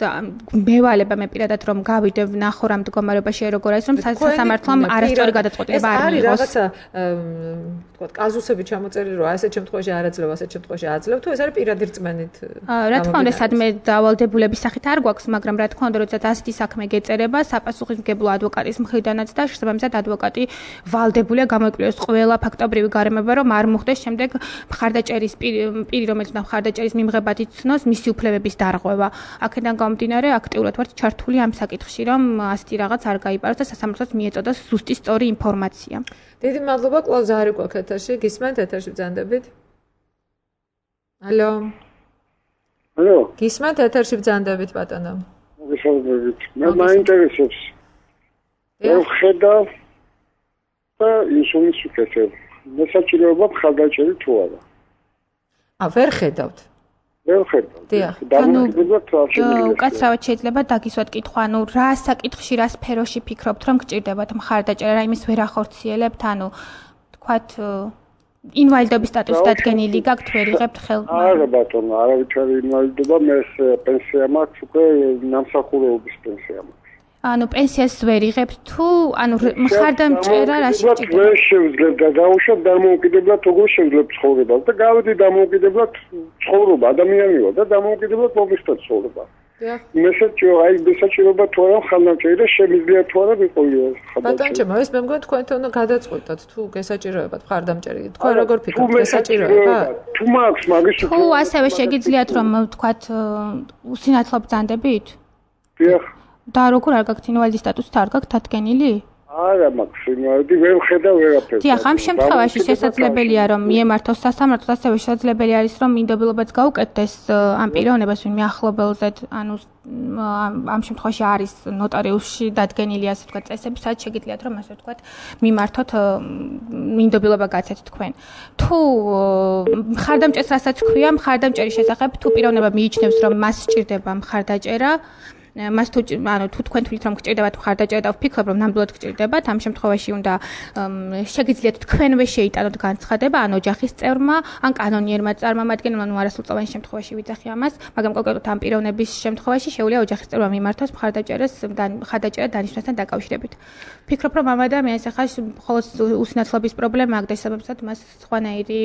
მევალება მე პირადად რომ გავიდე ვნახო რა მდგომარეობაში როგორ არის, რომ სასამართლომ არასწორი გადაწყვეტილება არ მიიღოს. ეს არის რაღაცა თქვა კაზუსები ჩამოწერილი, რომ ასეთ შემთხვევაში არ აძლევ, ასეთ შემთხვევაში აძლევ, თუ ეს არის პირადი რწმენით? რა თქმა უნდა, სადმე დავალდებულების სახით არ გვაქვს, მაგრამ რა თქმა უნდა, როდესაც ასეთი საქმე გეწერება, საპასუხისმგებლო ადვოკატის მხრიდანაც და შესაბამისად ადვოკატი ვალდებულია გამოიკვლიოს ყველა ფაქტობრივი გარემოება, რომ არ მოხდეს შემდეგ მხარდაჭერის პირი, რომელიც მხარდაჭერის მიმღებად იცნოს, მისი უფლებების დარღვევა. აქედან გამომდინარე, აქტიურად ვართ ჩართული ამ საკითხში, რომ ასეთი რაღაც არ გაიპაროს და სასამართლოს მიეწოდოს ზუსტი სწორი ინფორმაცია. დიდი მადლობა, კლავ ზარი გვაქვს ეთერში, გისმენთ ეთერში ბრძანდებით? ალო. ალო. გისმენთ ეთერში ბრძანდებით ბატონო? მოგესალმებით. მე მაინტერესებს. ეს ხედა და ისუნის უკეთებ. მე საჭიროება მხარდაჭერი თუ არა? ა, ვერ ხედავთ. ვერ ხედავთ. დიახ. ანუ უკაცრავად შეიძლება დაგისვათ კითხვა, ანუ რა საკითხში, რა სფეროში ფიქრობთ, რომ გჭირდებათ მხარდაჭერა, რა იმის ვერ ახორციელებთ, ანუ თქვათ ინვალიდობის სტატუსი დადგენილი გაქვთ, ვერ იღებთ ხელს? არა ბატონო, არავითარი ინვალიდობა, მე პენსია მაქვს, უკვე ნამსახურეობის პენსია მაქვს. ანუ პენსიას ვერ იღებთ თუ ანუ მხარდამჭერა რაში ჭირდება? ვერ შევძლებ და დავუშვათ დამოუკიდებლად როგორ შევძლებ ცხოვრებას და გავედი დამოუკიდებლად ცხოვრება, ადამიანი ვარ და დამოუკიდებლად მომისთა ცხოვრება. მე საჭირო, აი საჭიროება თუ არა მხარდამჭერი და შემიძლია თუ არა ვიყოლიო ხალხი. ბატონო ჩემო, ეს მე მგონი თქვენ თვითონ გადაწყვეტოთ თუ გესაჭიროებათ მხარდამჭერი. თქვენ როგორ ფიქრობთ, გესაჭიროება? თუ მაქვს მაგის თუ ასევე შეგიძლიათ რომ ვთქვათ უსინათლო ბრძანდებით? დიახ. და როგორ არ გაქვთ ინვალიდის სტატუსით არ გაქვთ დადგენილი? არა მაქვს ინვალიდი, ვერ ვხედავ ვერაფერს. დიახ, ამ შემთხვევაში შესაძლებელია რომ მიემართოს სასამართლოს, ასევე შესაძლებელი არის რომ მინდობილობაც გაუკეთდეს ამ პიროვნებას ვინმე ახლობელზედ, ანუ ამ შემთხვევაში არის ნოტარიუსში დადგენილი ასე ვთქვათ წესები, სადაც შეგიძლიათ რომ ასე ვთქვათ მიმართოთ მინდობილობა გაცეთ თქვენ. თუ მხარდამჭერს რასაც ქვია, მხარდამჭერის შესახებ თუ პიროვნება მიიჩნევს რომ მას სჭირდება მხარდაჭერა, მას თუ ანუ თუ თქვენ თვლით რომ გჭირდებათ მხარდაჭერა და ვფიქრობ რომ ნამდვილად გჭირდებათ ამ შემთხვევაში უნდა შეგიძლიათ თქვენვე შეიტანოთ განცხადება ან ოჯახის წევრმა ან კანონიერმა წარმომადგენელმა ნუ არასრულწლოვანი შემთხვევაში ვიძახი ამას მაგრამ კონკრეტულად ამ პიროვნების შემთხვევაში შეუძლია ოჯახის წევრმა მიმართოს მხარდაჭერას მხარდაჭერა დანიშნასთან დაკავშირებით ვფიქრობ რომ ამ ადამიანს ახლა მხოლოდ უსინათლობის პრობლემა აქვს და შესაბამისად მას სხვანაირი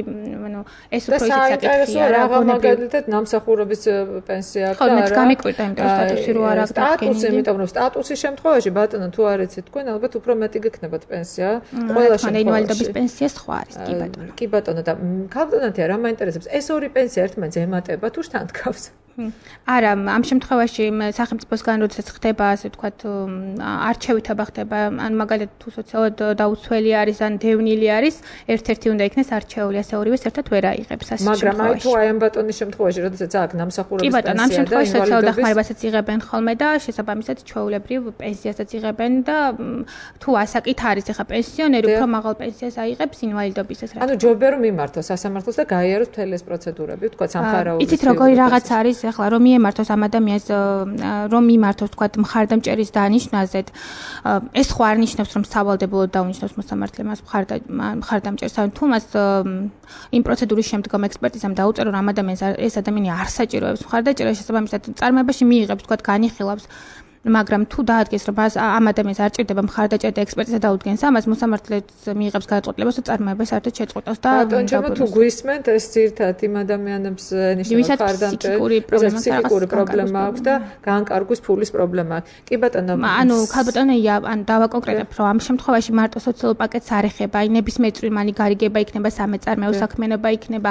ანუ ეს უფრო ისიც საკითხია რა მაგალითად ნამსახურების პენსია აქვს და არა გამიკვირდა იმიტომ სტატუსი რო არ აქვს სტატუსი იმიტომ რომ სტატუსის შემთხვევაში ბატონო თუ არ იცით თქვენ ალბათ უფრო მეტი გექნებათ პენსია ყველა შემთხვევაში ინვალიდობის პენსია სხვა არის კი ბატონო კი ბატონო და ქალბატონათია რა მაინტერესებს ეს ორი პენსია ერთმანეთს ემატება თუ შთან დგავს არა ამ შემთხვევაში სახელმწიფოსგან როდესაც ხდება ასე ვთქვათ არჩევითობა ხდება ან მაგალითად თუ სოციალურად დაუცველი არის ან დევნილი არის ერთ-ერთი უნდა იქნეს არჩეული ასე ორივეს ერთად ვერ აიღებს ასე მაგრამ აი თუ აი ამ ბატონის შემთხვევაში როდესაც აქვს ნამსახურების პენსია და ამ შემთხვევაში სოციალურ დახმარებასაც იღებენ ხოლმე და შესაბამისად ჩვეულებრივ პენსიასაც იღებენ და თუ ასაკით არის ახლა პენსიონერი უფრო მაღალ პენსიას აიღებს ინვალიდობისას რა ანუ ჯობია რომ მიმართოს სასამართლოს და გაიაროს მთელი ეს პროცედურები ვთქვათ სამხარაულის იცით როგორი რაღაც არის ახლა რომ მიემართოს ამ ადამიანს რომ მიმართოს თქვათ მხარდამჭერის დანიშნაზე ეს ხო არ ნიშნავს რომ სავალდებულოდ დაუნიშნოს მოსამართლე მას მხარდამჭერს ან თუ მას იმ პროცედურის შემდგომ ექსპერტიზამ დაუწერო რომ ამ ადამიანს ეს ადამიანი არ საჭიროებს მხარდაჭერა შესაბამისად წარმოებაში მიიღებს თქვათ განიხილავს მაგრამ თუ დაადგეს რომ ამ ადამიანს არ ჭირდება მხარდაჭერა და ექსპერტიზა დაუდგენს ამას მოსამართლეც მიიღებს გადაწყვეტილებას და წარმოება საერთოდ შეწყვეტავს და ბატონო თუ გვისმენთ ეს ძირთად იმ ადამიანებს ნიშნავს მხარდამჭერი ფსიქიკური პრობლემა აქვს და განკარგვის ფულის პრობლემა აქვს კი ბატონო ანუ ქალბატონია ან დავაკონკრეტებ რომ ამ შემთხვევაში მარტო სოციალურ პაკეტს არ ეხება აი ნებისმიერ წვრილმანი გარიგება იქნება სამეწარმეო საქმიანობა იქნება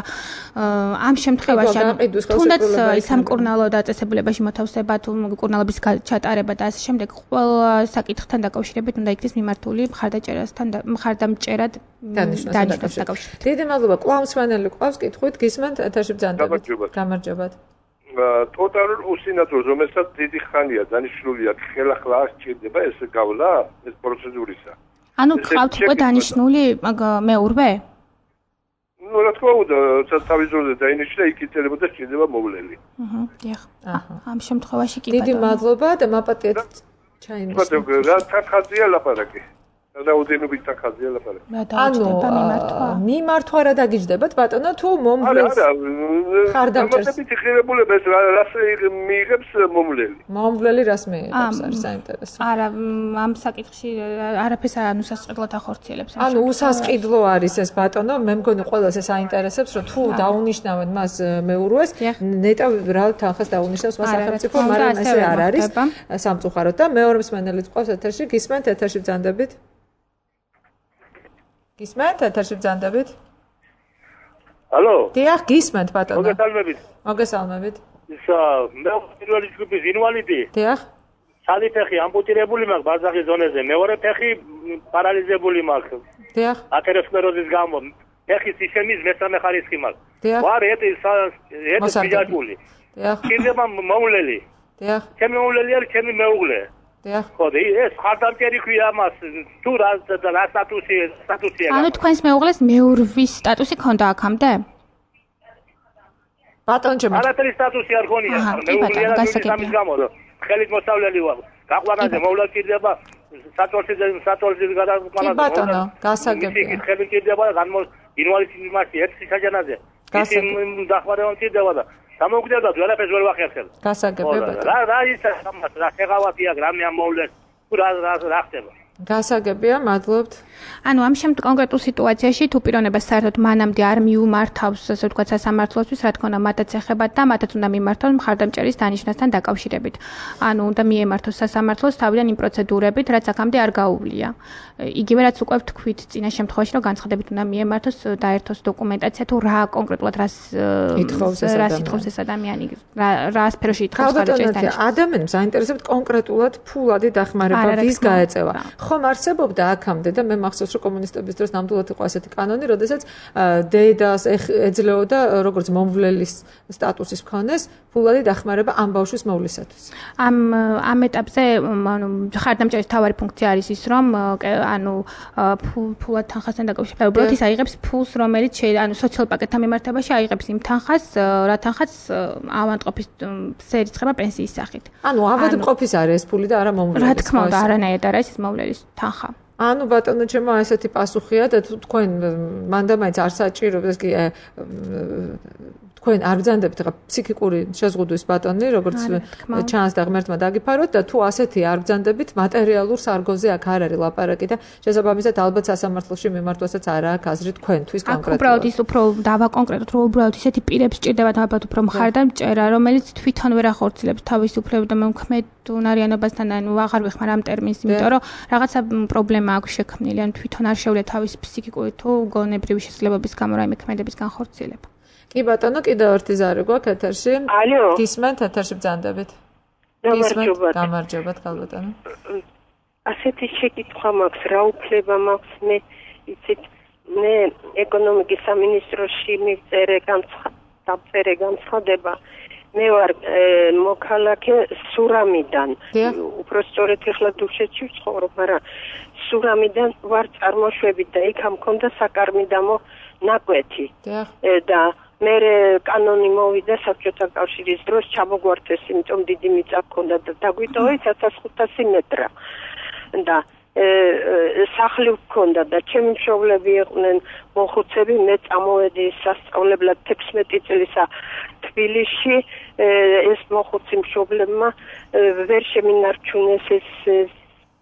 ამ შემთხვევაში თუნდაც სამკურნალო დაწესებულებაში მოთავსება თუ კურნალობის ჩატარება და ასე შემდეგ ყველა საკითხთან დაკავშირებით უნდა იქნეს მიმართული მხარდაჭერასთან მხარდამჭერად დანიშნასთან დაკავშირებით. დიდი მადლობა. კვლავ მსმენელი ყავს კითხვით გისმენთ ეთერში ბრძანდებით. გამარჯობათ. ტოტალურ უსინათლოს რომელსაც დიდი ხანია დანიშნულია ხელახლა არ სჭირდება ეს გავლა ეს პროცედურისა. ანუ ხავთ უკვე დანიშნული მეურვე? ну რა თქმა უნდა თავისუფლად დაინიშნა იქ იწერებოდა სჭირდება მოვლელი. აჰა, დიახ. ამ შემთხვევაში კი ბატონო. დიდი მადლობა და მაპატიეთ ჩაინიშნა. ბატონო, რა თანხაზია ლაპარაკი. რაოდენობით თანხაზია ლაპარაკი. ანუ მიმართვა რა დაგიჯდებათ ბატონო თუ მომვლელს? არა, ხარდამჭერს. ამათებით ღირებულება ეს რას მიიღებს მომვლელი. მომვლელი რას მიიღებს არის საინტერესო. არა, ამ საკითხში არაფერს არ უსასყიდლოდ ახორციელებს. ანუ უსასყიდლო არის ეს ბატონო, მე მგონი ყველას ეს აინტერესებს, რომ თუ დაუნიშნავენ მას მეურვეს, ნეტა რა თანხას დაუნიშნავს მას სახელმწიფო, მაგრამ ესე არ არის სამწუხაროდ და მეორე მსმენელიც ყავს ეთერში, გისმენთ ეთერში ბრძანდებით. გისმენთ ეთერში ბრძანდებით? ალო? დიახ, გისმენთ ბატონო. მოგესალმებით. მოგესალმებით. ისა მე პირველი ჯგუფის ინვალიდი. დიახ. სალი ფეხი ამპუტირებული მაქვს ბარძახის ზონეზე, მეორე ფეხი პარალიზებული მაქვს. დიახ. ათეროსკლეროზის გამო ფეხის ისემის მესამე ხარისხი მაქვს. დიახ. ვარ ეტი ეტი ბიჯაკული. დიახ. კიდევ მოვლელი. დიახ. ჩემი მოვლელი არის ჩემი მეუღლე. დიახ. ხო, ეს ხარდამჭერი ქვია მას, თუ რა რა სტატუსი სტატუსია. ანუ თქვენს მეუღლეს მეურვის სტატუსი ქონდა აქამდე? ბატონო ჩემო. არათელი სტატუსი არ ქონია. მეუღლე არა სამის გამო. ხელით მოსავლელი ვარ. გაყვანაზე მოვლა კიდება საწოლში საწოლში გადაყვანა. კი ბატონო, გასაგებია. ის ხელით კიდება და განმო ინვალიდიზმის მასში ერთი საჯანაზე. ის დახმარება კიდება და გამოგვდედა ყველაფერს ვერ ვახერხებ. გასაგებია ბატონო. რა რა ის ამას რა შეღავათია გრამი ამ მოვლენს. რა რა რა ხდება? გასაგებია, მადლობთ. ანუ ამ შემთხვევაში კონკრეტულ სიტუაციაში თუ პიროვნებას საერთოდ მანამდე არ მიუმართავს, ასე ვთქვათ, სასამართლოსთვის, რა თქმა უნდა, მათაც ეხებათ და მათაც უნდა მიმართონ მხარდამჭერის დანიშნასთან დაკავშირებით. ანუ უნდა მიემართოს სასამართლოს თავიდან იმ პროცედურებით, რაც აქამდე არ გაუვლია. იგივე რაც უკვე ვთქვით წინა შემთხვევაში, რომ განცხადებით უნდა მიემართოს დაერთოს დოკუმენტაცია თუ რა კონკრეტულად რას რას ითხოვს ეს ადამიანი, რა სფეროში ითხოვს მხარდამჭერის დანიშნას. ადამიანს აინტერესებთ კონკრეტულად ფულადი დახმარება ვის გაეწევა. ხომ არსებობდა აქამდე და მე მახსოვს რომ კომუნისტების დროს ნამდვილად იყო ასეთი კანონი, როდესაც დედას ეძლეოდა როგორც მომვლელის სტატუსის მქონეს ფულადი დახმარება ამ ბავშვის მოვლისათვის. ამ ამ ეტაპზე ანუ ხარდამჭერის თავარი ფუნქცია არის ის რომ ანუ ფულად თანხასთან დაკავშირებით უბრალოდ ის აიღებს ფულს რომელიც ანუ სოციალურ პაკეტთან მიმართებაში აიღებს იმ თანხას რა თანხას ავადმყოფის სერიცხება პენსიის სახით. ანუ ავადმყოფის არის ეს ფული და არა მომვლელის. რა თქმა უნდა არანაირად არ არის ეს მომვლელის თანხა. ანუ ბატონო ჩემო ესეთი პასუხია და თქვენ მანდა მაინც არ საჭიროებს კი თქვენ არ ბრძანდებთ ხა ფსიქიკური შეზღუდვის ბატონი როგორც ჩანს და ღმერთმა დაგიფაროთ და თუ ასეთი არ ბრძანდებით მატერიალურ სარგოზე აქ არ არის ლაპარაკი და შესაბამისად ალბათ სასამართლოში მიმართვასაც არ აქვს აზრი თქვენთვის კონკრეტულად. აქ უბრალოდ ის უფრო დავაკონკრეტოთ რომ უბრალოდ ისეთი პირებს ჭირდებათ ალბათ უფრო მხარდამჭერა რომელიც თვითონ ვერ ახორციელებს თავისუფლებას და მომქმედუნარიანობასთან ანუ აღარ ვეხმარ ამ ტერმინს იმიტომ რომ რაღაცა პრობლემა აქვს შექმნილი ან თვითონ არ შეუძლია თავის ფსიქიკური თუ გონებრივი შესაძლებლობის გამო რაიმე ქმედების განხორციელება. კი ბატონო, კიდევ ერთი ზარი გვაქვს ეთერში. ალო. გისმენთ ეთერში ბრძანდებით. გამარჯობა. გამარჯობა, ბატონო. ასეთი შეკითხვა მაქვს, რა უფლება მაქვს მე იცით, მე ეკონომიკის სამინისტროში მივწერე დამწერე განცხადება. მე ვარ მოქალაქე სურამიდან. უпростоრეთ ეხლა დუშეთში ვცხოვრობ, მაგრამ სურამიდან ვარ წარმოშვებით და იქ ამ მქონდა საკარმიდამო ნაკვეთი. და მე კანონი მოვიდა საბჭოთა კავშირის დროს ჩამოგვართეს, იმიტომ დიდი მიწა მქონდა და დაგვიტოვეს ათას ხუთასი მეტრა. და სახლი მქონდა და ჩემი მშობლები იყვნენ მოხუცები, მე წამოვედი სასწავლებლად თექვსმეტი წლისა თბილისში, ეს მოხუცი მშობლებმა ვერ შემინარჩუნეს ეს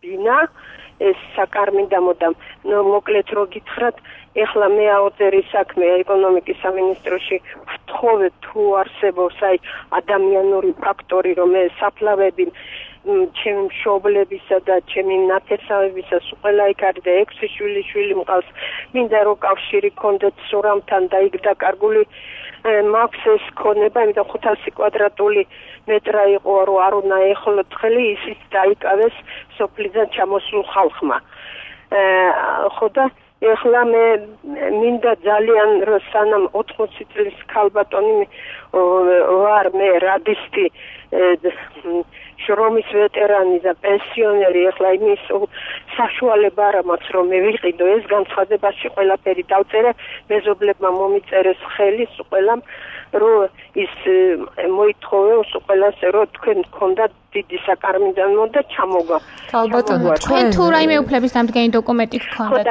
ბინა, ეს საკარმიდამო და მოკლედ რო გითხრათ, ეხლა მე აუწერი საქმე ეკონომიკის სამინისტროში ვთხოვე თუ არსებობს აი ადამიანური ფაქტორი, რომ ეს საფლავები ჩემი მშობლებისა და ჩემი ნათესავებისა ყველა იქ არის და ექვსი შვილი შვილი მყავს, მინდა რომ კავშირი გქონდეთ სურამთან და იქ დაკარგული მაქვს ეს ქონება, იმიტომ ხუთასი კვადრატული მეტრა იყო, რომ არ უნდა ეხლოთ ხელი, ისიც დაიკავეს სოფლიდან ჩამოსულ ხალხმა. ხო და ეხლა მე მინდა ძალიან რომ სანამ ოთხმოცი წლის ქალბატონი ვარ მე რადისტი შრომის ვეტერანი და პენსიონერი, ეხლა იმის საშუალება არ მაქვს რომ მე ვიყიდო ეს განცხადებაში ყველაფერი დავწერე, მეზობლებმა მომიწერეს ხელი ყველამ რომ ის მოითხოვე ყველას რომ თქვენ გქონდათ დიდი საკარმიდამო და ჩამოგა. ქალბატონო, თქვენ თუ რაიმე უფლების დამდგენი დოკუმენტი გქონდათ?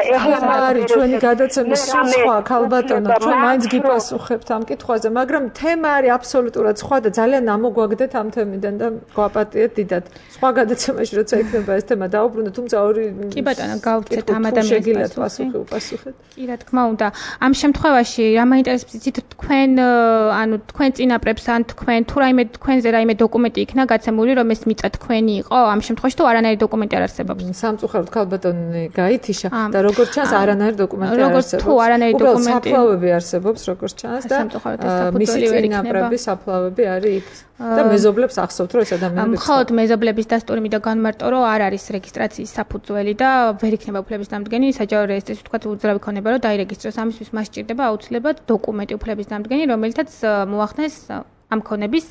არის ჩვენი გადაცემის სხვა ქალბატონო, ჩვენ მაინც გიპასუხებთ ამ კითხვაზე, მაგრამ თემა არის აბსოლუტურად სხვა და ძალიან ამოგვაგდეთ ამ თემიდან და გვაპატიეთ დიდად. სხვა გადაცემაში როცა იქნება ეს თემა დაუბრუნდეთ, თუმცა ორი კი ბატონო, გავცეთ ამ ადამიანის პასუხი უპასუხეთ. კი რა თქმა უნდა. ამ შემთხვევაში რა მაინტერესებს იცით თქვენ ანუ თქვენ წინაპრებს ან თქვენ თუ რაიმე თქვენზე რაიმე დოკუმენტი იქნა გაცემული რომ ეს მიწა თქვენი იყო, ამ შემთხვევაში თუ არანაირი დოკუმენტი არ არსებობს. სამწუხაროდ ქალბატონი გაითიშა და როგორც ჩანს არანაირი დოკუმენტი არ არსებობს. თუ არანაირი დოკუმენტი საფლავები არსებობს როგორც ჩანს და მისი წინაპრები საფლავები არის იქ და მეზობლებს ახსოვთ რომ ეს ადამიანები მხოლოდ მეზობლების დასტური მინდა განმარტო რომ არ არის რეგისტრაციის საფუძველი და ვერ იქნება უფლების დამდგენი, საჯარო რეესტრში თქვა უძრავი ქონება რომ დაირეგისტროს, ამისთვის მას სჭირდება აუცილებლად დოკუმენტი უფლების დამდგენი, რომელთაც მოახდენს ამ ქონების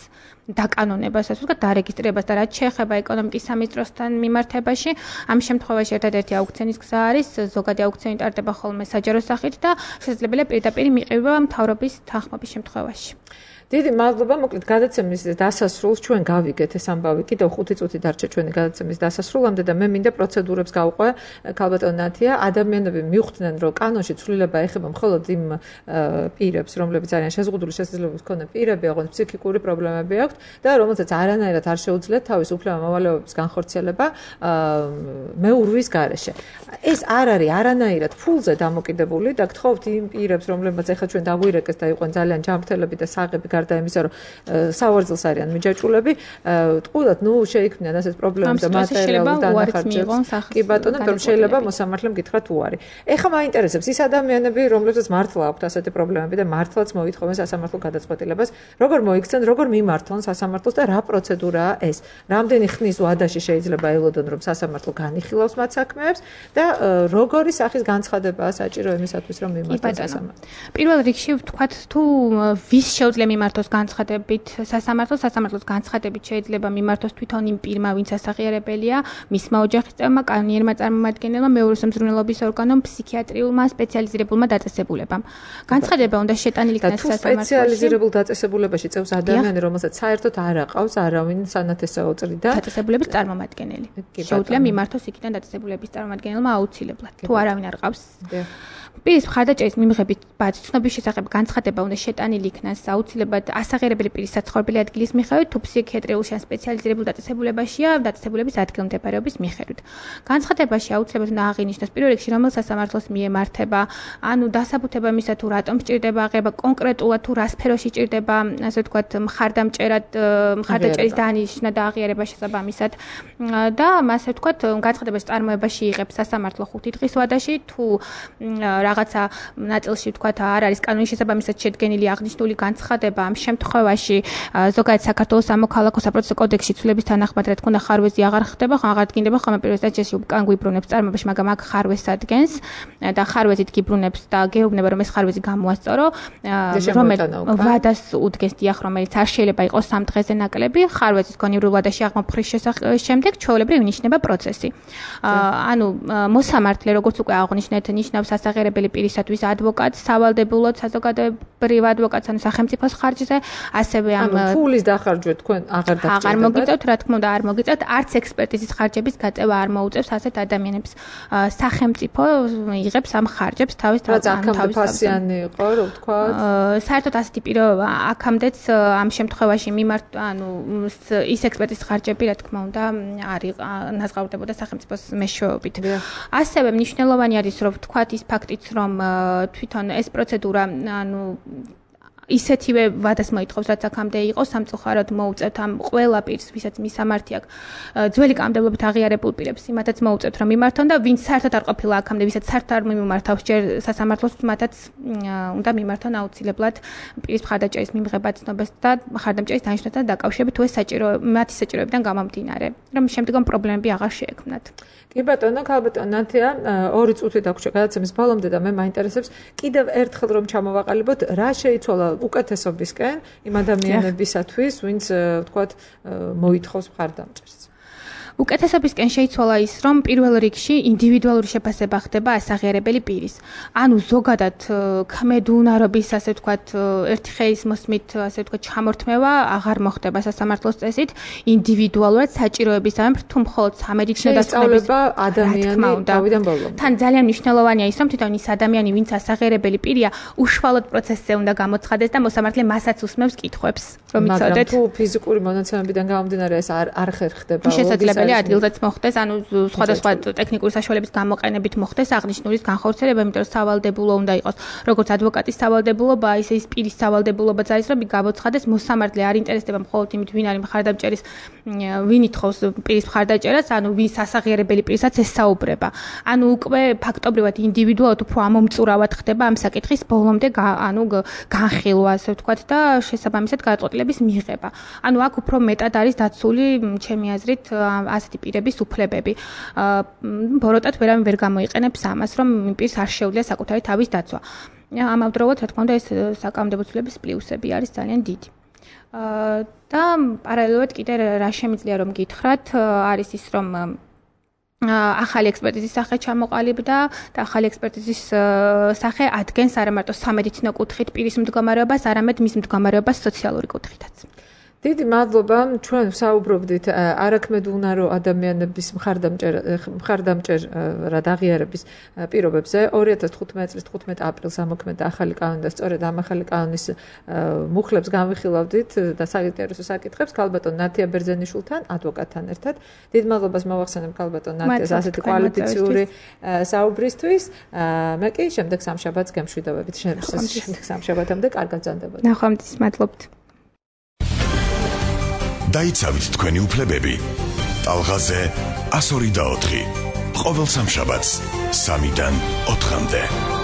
დაკანონებას, ასე ვთქვათ, დარეგისტრებას და რაც შეეხება ეკონომიკის სამინისტროსთან მიმართებაში, ამ შემთხვევაში ერთადერთი აუქციონის გზა არის, ზოგადი აუქციონი ტარდება ხოლმე საჯარო სახით და შესაძლებელია პირდაპირ მიყრება მთავრობის თანხმობის შემთხვევაში. დიდი მადლობა, მოკლედ გადაცემის დასასრულს ჩვენ გავიგეთ ეს ამბავი, კიდევ ხუთი წუთი დარჩა ჩვენი გადაცემის დასასრულამდე და მე მინდა პროცედურებს გავყვე ქალბატონ ნათია, ადამიანები მივხვდნენ რომ კანონში ცვლილება ეხება მხოლოდ იმ პირებს, რომლებიც არიან შეზღუდული შესაძლებლობის მქონე პირები, ოღონდ ფსიქიკური პრობლემები აქვთ და რომელსაც არანაირად არ შეუძლიათ თავის უფლება-მოვალეობების განხორციელება მეურვის გარეშე. ეს არ არის არანაირად ფულზე დამოკიდებული და გთხოვთ იმ პირებს, რომლებსაც ეხლა ჩვენ დაგვირეკეს და იყვნენ ძალიან ჯანმრთელები და საღები გარდა იმისა, რომ სავარძელს არიან მიჯაჭვულები, ტყუილად, ნუ შეიქმნიან ასეთ პრობლემები და მატერიალურ დანახარჯებს. კი ბატონო, რომ შეიძლება მოსამართლემ გითხრათ უარი. ეხლა მაინტერესებს ის ადამიანები, რომლებსაც მართლა აქვთ ასეთი პრობლემები და მართლაც მოითხოვენ სასამართლო გადაწყვეტილებას, როგორ მოიქცენ, როგორ მიმართონ სასამართლოს და რა პროცედურაა ეს? რამდენი ხნის ვადაში შეიძლება ელოდონ, რომ სასამართლო განიხილავს მათ საქმეებს და როგორი სახის განცხადებაა საჭირო იმისათვის, რომ მიმართონ სასამართლოს? პირველ რიგში ვთქვათ, თუ ვის შეუძლია მიმართოს განცხადებით სასამართლოს, სასამართლოს განცხადებით შეიძლება მიმართოს თვითონ იმ პირმა, ვინც ასაღიარებელია, მისმა ოჯახის წევრმა, კანონიერმა წარმომადგენელმა, მეორე სამზრუნველობის ორგანომ, ფსიქიატრიულმა სპეციალიზირებულმა დაწესებულებამ. განცხადება უნდა შეტანილი იქნას სასამართლოში. სპეციალიზირებულ დაწესებულებაში წევს ადამიანი, რომელსაც საერთოდ არ აყავს არავინ სანათესაო წრიდან დაწესებულების წარმომადგენელი. შეუძლია მიმართოს იქიდან დაწესებულების წარმომადგენელმა აუცილებლად. თუ არავინ არ ყავს. პირის მხარდაჭერის მიღებით ბაძ ცნობის შესახებ განცხადება უნდა შეტანილი იქნას აუცილებლად ასაღიარებელი პირის საცხოვრებელი ადგილის მიხედვით, თუ ფსიქიატრიულში ან სპეციალიზირებულ დაწესებულებაშია დაწესებულების ადგილმდებარეობის მიხედვით. განცხადებაში აუცილებლად უნდა აღინიშნოს პირველ რიგში რომელ სასამართლოს მიემართება, ანუ დასაბუთება იმისა თუ რატომ სჭირდება აღება, კონკრეტულად თუ რა სფეროში სჭირდება, ასე ვთქვათ, მხარდამჭერად მხარდაჭერის დანიშნა და აღიარება შესაბამისად და ასე ვთქვათ, განცხადების წარმოებაში იღებს სასამართლო ხუთი დღის ვადაში, თუ რაღაცა ნაწილში ვთქვათ არ არის კანონის შესაბამისად შედგენილი აღნიშნული განცხადება, ამ შემთხვევაში ზოგადად საქართველოს სამოქალაქო საპროცესო კოდექსში ცვლილების თანახმად რა თქმა უნდა ხარვეზი აღარ ხდება, აღარ დგინდება ხოლმე პირველ სტადიაში უკან გვიბრუნებს წარმოებაში, მაგრამ აქ ხარვეზს ადგენს და ხარვეზით გიბრუნებს და გეუბნება რომ ეს ხარვეზი გამოასწორო, რომელიც ვადას უდგეს დიახ, რომელიც არ შეიძლება იყოს სამ დღეზე ნაკლები, ხარვეზის გონივრულ ვადაში აღმოფხრის შემდეგ ჩვეულებრივ ინიშნება პროცესი. ანუ მოსამართლე როგორც უკვე აღნიშნეთ, ნიშნავს ასაღიარებელი პირისათვის ადვოკატს, სავალდებულოდ საზოგადოებრივ ადვოკატს, ანუ სახელმწიფოს ხარჯზე, ასევე ამ ფულის დახარჯვა თქვენ აღარ დაგჭირდებათ. აღარ მოგიწევთ, რა თქმა უნდა, არ მოგიწევთ, არც ექსპერტიზის ხარჯების გაწევა არ მოუწევს ასეთ ადამიანებს. სახელმწიფო იღებს ამ ხარჯებს თავის თავის ფასიანი იყო, რო ვთქვა. საერთოდ ასეთი პიროვნება აქამდეც ამ შემთხვევაში მიმართ, ანუ ის ექსპერტიზის ხარჯები, რა თქმა უნდა, არის ნაზღაურდებოდა სახელმწიფოს მეშვეობით. ასევე მნიშვნელოვანი არის, რომ ვთქვათ ის ფაქტიც, რომ თვითონ ეს პროცედურა, ანუ ისეთივე ვადას მოითხოვს, რაც აქამდე იყო, სამწუხაროდ მოუწევთ ამ ყველა პირს, ვისაც მისამართი აქვს, ძველი კანონმდებლობით აღიარებულ პირებს, იმათაც მოუწევთ, რომ მიმართონ და ვინც საერთოდ არ ყოფილა აქამდე, ვისაც საერთოდ არ მიმართავს ჯერ სასამართლოს, მათაც უნდა მიმართონ აუცილებლად პირის მხარდაჭერის მიღება ცნობას და მხარდამჭერის დანიშნასთან დაკავშირებით, თუ ეს საჭირო, მათი საჭიროებიდან გამომდინარე, რომ შემდგომ პრობლემები აღარ შეექმნათ. კი ბატონო, ქალბატონო ნათია, ორი წუთი დაგვრჩა გადაცემის ბოლომდე და მე მაინტერესებს კიდევ ერთხელ რომ ჩამოვაყალიბოთ, რა შეიცვალა უკეთესობისკენ იმ ადამიანებისათვის, ვინც ვთქვათ, მოითხოვს მხარდამჭერს. უკეთესობისკენ შეიცვალა ის, რომ პირველ რიგში ინდივიდუალური შეფასება ხდება ასაღიარებელი პირის. ანუ ზოგადად ქმედუნარობის, ასე ვთქვათ, ერთი ხელის მოსმით, ასე ვთქვათ, ჩამორთმევა აღარ მოხდება სასამართლოს წესით, ინდივიდუალურად საჭიროებისამებრ, თუ მხოლოდ სამედიცინო დასწავლების ადამიანი თავიდან ბოლომდე. თან ძალიან მნიშვნელოვანია ის, რომ თვითონ ის ადამიანი, ვინც ასაღიარებელი პირია, უშუალოდ პროცესზე უნდა გამოცხადდეს და მოსამართლე მასაც უსმევს კითხვებს, რომ იცოდეთ. მაგრამ თუ ფიზიკური მონაცემებიდან გამომდინარე ეს არ არ ხერხდება, შესაძლებელია ადგილზეც მოხდეს, ანუ სხვადასხვა ტექნიკური საშუალების გამოყენებით მოხდეს აღნიშნულის განხორციელება, იმიტომ რომ სავალდებულო უნდა იყოს, როგორც ადვოკატის სავალდებულობა, ისე ის პირის სავალდებულობაც არის, რომ გამოცხადდეს მოსამართლე არ ინტერესდება მხოლოდ იმით, ვინ არის მხარდამჭერის, ვინ ითხოვს პირის მხარდაჭერას, ანუ ვის ასაღიარებელი პირისაც ესაუბრება. ანუ უკვე ფაქტობრივად ინდივიდუალურად უფრო ამომწურავად ხდება ამ საკითხის ბოლომდე, ანუ განხილვა, ასე ვთქვათ და შესაბამისად გადაწყვეტილების მიღება. ანუ აქ უფრო მეტად არის დაცული, ჩემი აზრით, ასეთი პირების უფლებები. ბოროტად ვერავინ ვერ გამოიყენებს ამას, რომ პირს არ შეუძლია საკუთარი თავის დაცვა. ამავდროულად, რა თქმა უნდა, ეს საკანონმდებლო ცვლილების პლუსები არის ძალიან დიდი. და პარალელურად კიდე რა შემიძლია რომ გითხრათ, არის ის, რომ ახალი ექსპერტიზის სახე ჩამოყალიბდა და ახალი ექსპერტიზის სახე ადგენს არა მარტო სამედიცინო კუთხით პირის მდგომარეობას, არამედ მის მდგომარეობას სოციალური კუთხითაც. დიდი მადლობა, ჩვენ საუბრობდით არაქმედუნარო ადამიანების მხარდამჭერად აღიარების პირობებზე. ორი ათას თხუთმეტი წლის თხუთმეტი აპრილს ამოქმედა ახალი კანონი და სწორედ ამ ახალი კანონის მუხლებს განვიხილავდით და საინტერესო საკითხებს ქალბატონ ნათია ბერძენიშვილთან, ადვოკატთან ერთად. დიდ მადლობას მოვახსენებ ქალბატონ ნათიას ასეთი კვალიფიციური საუბრისთვის. მე კი შემდეგ სამშაბათს გემშვიდობებით. შემდეგ სამშაბათამდე კარგად გრძანდებოდეთ. ნახვამდის, მადლობთ. დაიცავით თქვენი უფლებები. ტალღაზე one oh two. ყოველ სამშაბათს სამიდან ოთხამდე.